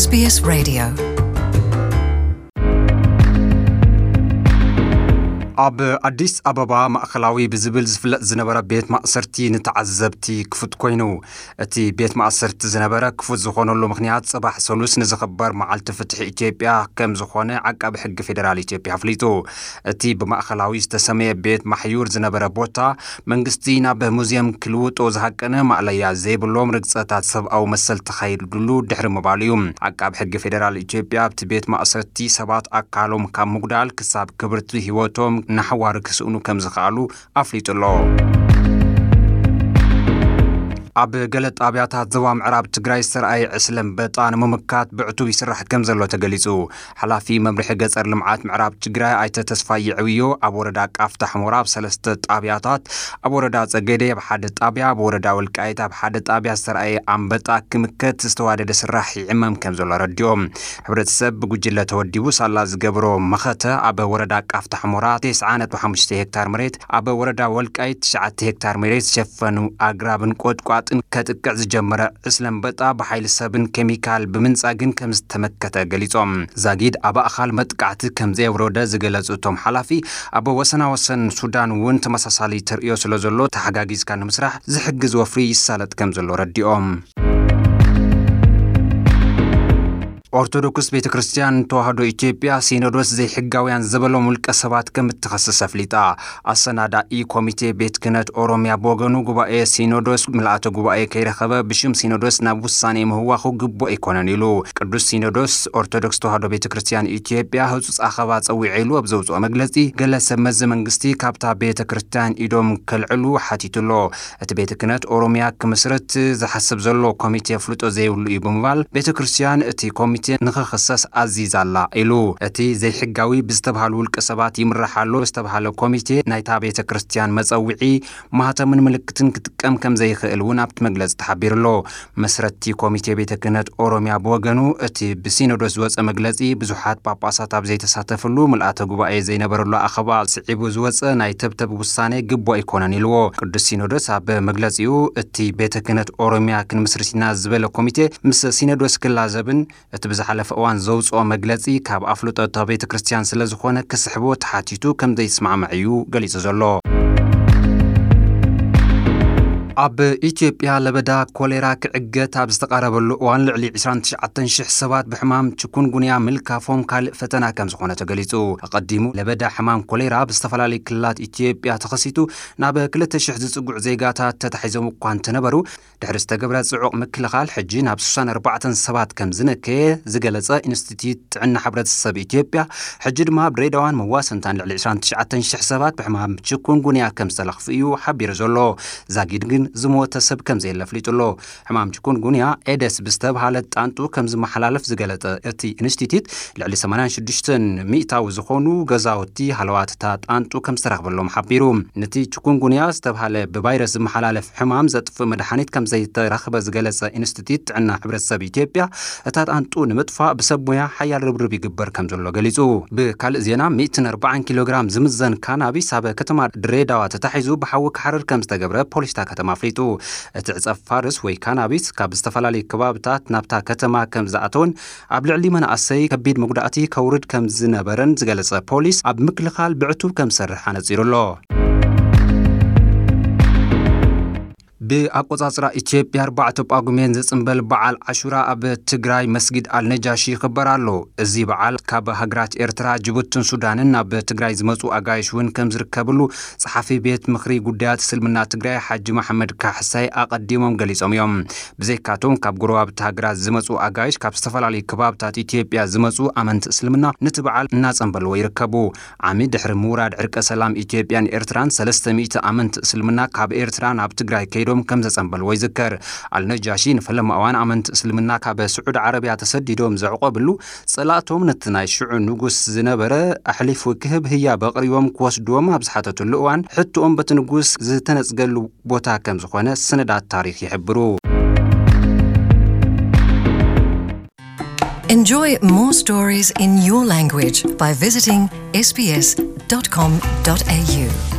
SBS Radio. ኣብ ኣዲስ ኣበባ ማእኸላዊ ብዝብል ዝፍለጥ ዝነበረ ቤት ማእሰርቲ ንተዓዘብቲ ክፉት ኮይኑ። እቲ ቤት ማእሰርቲ ዝነበረ ክፉት ዝኾነሉ ምኽንያት፣ ጽባሕ ሰሉስ ንዝኽበር መዓልቲ ፍትሒ ኢትዮጵያ ከም ዝኾነ ዓቃቢ ሕጊ ፌደራል ኢትዮጵያ ኣፍሊጡ። እቲ ብማእኸላዊ ዝተሰመየ ቤት ማሕዩር ዝነበረ ቦታ፣ መንግስቲ ናብ ሙዚየም ክልውጦ ዝሃቀነ ማእለያ ዘይብሎም ርግጸታት ሰብኣዊ መሰል ተኻይድሉ ድሕሪ ምባሉ እዩ። ዓቃቢ ሕጊ ፌደራል ኢትዮጵያ ኣብቲ ቤት ማእሰርቲ ሰባት ኣካሎም ካብ ምጉዳል ክሳብ ክብርቲ ህይወቶም ናሕዋር ክስእኑ ከም ዝኸኣሉ ኣፍሊጡ ኣሎ። ኣብ ገለ ጣብያታት ዞባ ምዕራብ ትግራይ ዝተረኣየ ዕስለ ኣንበጣ ንምምካት ብዕቱብ ይስራሕ ከም ዘሎ ተገሊጹ። ሓላፊ መምርሒ ገጸር ልምዓት ምዕራብ ትግራይ ኣይተ ተስፋይ ይዕብዮ፣ ኣብ ወረዳ ቃፍታ ሕሞራ ኣብ ሰለስተ ጣብያታት፣ ኣብ ወረዳ ጸገዴ ኣብ ሓደ ጣብያ፣ ኣብ ወረዳ ወልቃይት ኣብ ሓደ ጣብያ ዝተረኣየ ኣንበጣ ክምከት ዝተዋደደ ስራሕ ይዕመም ከም ዘሎ ረዲኦም። ሕብረተሰብ ብጉጅለ ተወዲቡ ሳላ ዝገብሮ መኸተ ኣብ ወረዳ ቃፍታ ሕሞራ ተስዓ ነጥቢ ሓሙሽተ ሄክታር መሬት፣ ኣብ ወረዳ ወልቃይት ትሽዓተ ሄክታር መሬት ዝሸፈኑ ኣግራብን ቆጥቋጥን ከጥቅዕ ዝጀመረ ዕስለ ኣንበጣ ብሓይሊ ሰብን ኬሚካል ብምንጻግን ከም ዝተመከተ ገሊጾም። ዛጊድ ኣብ ኣእኻል መጥቃዕቲ ከም ዘየውረደ ዝገለጹ እቶም ሓላፊ፣ ኣብ ወሰናወሰን ሱዳን እውን ተመሳሳሊ ተርእዮ ስለ ዘሎ ተሓጋጊዝካ ንምስራሕ ዝሕግዝ ወፍሪ ይሳለጥ ከም ዘሎ ረዲኦም። ኦርቶዶክስ ቤተ ክርስቲያን ተዋህዶ ኢትዮጵያ ሲኖዶስ ዘይሕጋውያን ዝበሎም ውልቀ ሰባት ከም እትኸስስ ኣፍሊጣ። ኣሰናዳኢ ኮሚቴ ቤት ክህነት ኦሮሚያ ብወገኑ፣ ጉባኤ ሲኖዶስ ምልኣተ ጉባኤ ከይረኸበ ብሽም ሲኖዶስ ናብ ውሳኔ ምህዋኹ ግቡእ ኣይኮነን ኢሉ። ቅዱስ ሲኖዶስ ኦርቶዶክስ ተዋህዶ ቤተ ክርስቲያን ኢትዮጵያ ህጹጽ ኣኸባ ጸዊዐ ኢሉ ኣብ ዘውጽኦ መግለጺ፣ ገለ ሰብ መዚ መንግስቲ ካብታ ቤተ ክርስቲያን ኢዶም ከልዕሉ ሓቲቱ ኣሎ። እቲ ቤተ ክህነት ኦሮሚያ ክምስርት ዝሓስብ ዘሎ ኮሚቴ ኣፍልጦ ዘይብሉ እዩ ብምባል፣ ቤተ ክርስቲያን እቲ ኮሚቴ ንኽኽሰስ ኣዚዛ ኣላ ኢሉ። እቲ ዘይሕጋዊ ብዝተባሃሉ ውልቀ ሰባት ይምራሕ ኣሎ ዝተባሃለ ኮሚቴ ናይታ ቤተ ክርስቲያን መጸውዒ፣ ማህተምን ምልክትን ክጥቀም ከም ዘይኽእል እውን ኣብቲ መግለጺ ተሓቢሩ ኣሎ። መስረቲ ኮሚቴ ቤተ ክህነት ኦሮሚያ ብወገኑ፣ እቲ ብሲኖዶስ ዝወጸ መግለጺ ብዙሓት ጳጳሳት ኣብ ዘይተሳተፍሉ ምልኣተ ጉባኤ ዘይነበረሉ ኣኸባ ስዒቡ ዝወጸ ናይ ተብተብ ውሳኔ ግቡእ ኣይኮነን ኢልዎ። ቅዱስ ሲኖዶስ ኣብ መግለጺኡ፣ እቲ ቤተ ክህነት ኦሮሚያ ክንምስርት ኢና ዝበለ ኮሚቴ ምስ ሲኖዶስ ክላዘብን እቲ ብዝሓለፈ እዋን ዘውጽኦ መግለጺ ካብ ኣፍልጦ እታ ቤተ ክርስቲያን ስለ ዝኾነ ክስሕቦ ተሓቲቱ ከም ዘይስማዕማዕ እዩ ገሊጹ ዘሎ። ኣብ ኢትዮጵያ ለበዳ ኮሌራ ክዕገት ኣብ ዝተቓረበሉ እዋን ልዕሊ ዕስራን ትሽዓተን ሽሕ ሰባት ብሕማም ችኩንጉንያ ምልካፎም ካልእ ፈተና ከም ዝኾነ ተገሊጹ። ኣቐዲሙ ለበዳ ሕማም ኮሌራ ኣብ ዝተፈላለዩ ክልላት ኢትዮጵያ ተኸሲቱ ናብ ክልተ ሽሕ ዝጽጉዕ ዜጋታት ተታሒዞም እኳ እንተነበሩ፣ ድሕሪ ዝተገብረ ጽዑቕ ምክልኻል ሕጂ ናብ ስሳን ኣርባዕተን ሰባት ከም ዝነከየ ዝገለጸ ኢንስቲትዩት ጥዕና ሕብረተሰብ ኢትዮጵያ፣ ሕጂ ድማ ኣብ ድሬዳዋን መዋሰንታን ልዕሊ ዕስራን ትሽዓተን ሽሕ ሰባት ብሕማም ችኩንጉንያ ከም ዝተለኽፉ እዩ ሓቢሩ ዘሎ። ዛጊድ ግን ዝሞተ ሰብ ከም ዘየለ ኣፍሊጡ ኣሎ። ሕማም ችኩንጉንያ ኤደስ ብዝተብሃለ ጣንጡ ከም ዝመሓላለፍ ዝገለጸ እቲ ኢንስቲትዩት፣ ልዕሊ ሰማንያን ሽዱሽተን ሚእታዊ ዝኾኑ ገዛውቲ ሃለዋት እታ ጣንጡ ከም ዝተረኽበሎም ሓቢሩ። ነቲ ችኩንጉንያ ዝተብሃለ ብቫይረስ ዝመሓላለፍ ሕማም ዘጥፍእ መድሓኒት ከም ዘይተረኽበ ዝገለጸ ኢንስቲትዩት ጥዕና ሕብረተሰብ ኢትዮጵያ፣ እታ ጣንጡ ንምጥፋእ ብሰብ ሞያ ሓያል ርብርብ ይግበር ከም ዘሎ ገሊጹ። ብካልእ ዜና፣ ሚእትን ኣርባዓን ኪሎ ግራም ዝምዘን ካናቢስ ኣብ ከተማ ድሬዳዋ ተታሒዙ ብሓዊ ክሓርር ከም ዝተገብረ ፖሊስ እታ ከተማ ኣፍሊጡ። እቲ ዕጸ ፋርስ ወይ ካናቢስ ካብ ዝተፈላለዩ ከባብታት ናብታ ከተማ ከም ዝኣተወን ኣብ ልዕሊ መናእሰይ ከቢድ መጉዳእቲ ከውርድ ከም ዝነበረን ዝገለጸ ፖሊስ፣ ኣብ ምክልኻል ብዕቱብ ከም ዝሰርሕ ኣነጺሩ ኣሎ። ብኣቆጻጽራ ኢትዮጵያ ኣርባዕተ ጳጉሜን ዝጽንበል በዓል ዓሹራ ኣብ ትግራይ መስጊድ ኣልነጃሺ ይኽበር ኣሎ። እዚ በዓል ካብ ሃገራት ኤርትራ፣ ጅቡትን ሱዳንን ናብ ትግራይ ዝመጹ ኣጋይሽ እውን ከም ዝርከብሉ ጸሓፊ ቤት ምኽሪ ጉዳያት እስልምና ትግራይ ሓጂ መሓመድ ካሕሳይ ኣቐዲሞም ገሊጾም እዮም። ብዘይካቶም ካብ ጎረባብቲ ሃገራት ዝመጹ ኣጋይሽ ካብ ዝተፈላለዩ ከባብታት ኢትዮጵያ ዝመጹ ኣመንቲ እስልምና ነቲ በዓል እናጸንበልዎ ይርከቡ። ዓሚ ድሕሪ ምውራድ ዕርቀ ሰላም ኢትዮጵያን ኤርትራን ሰለስተ ሚእቲ ኣመንቲ እስልምና ካብ ኤርትራ ናብ ትግራይ ከይዶም ከም ዘጸንበልዎ ይዝከር። ኣልነጃሺ ንፈለማ እዋን ኣመንቲ እስልምና ካብ ስዑዲ ዓረብያ ተሰዲዶም ዘዕቆብሉ፣ ጸላእቶም ነቲ ናይ ሽዑ ንጉስ ዝነበረ ኣሕሊፉ ክህብ ህያብ ኣቕሪቦም ክወስድዎም ኣብ ዝሓተትሉ እዋን፣ ሕቶኦም በቲ ንጉስ ዝተነጽገሉ ቦታ ከም ዝኾነ ሰነዳት ታሪኽ ይሕብሩ። Enjoy more stories in your language by visiting S B S dot com dot A U.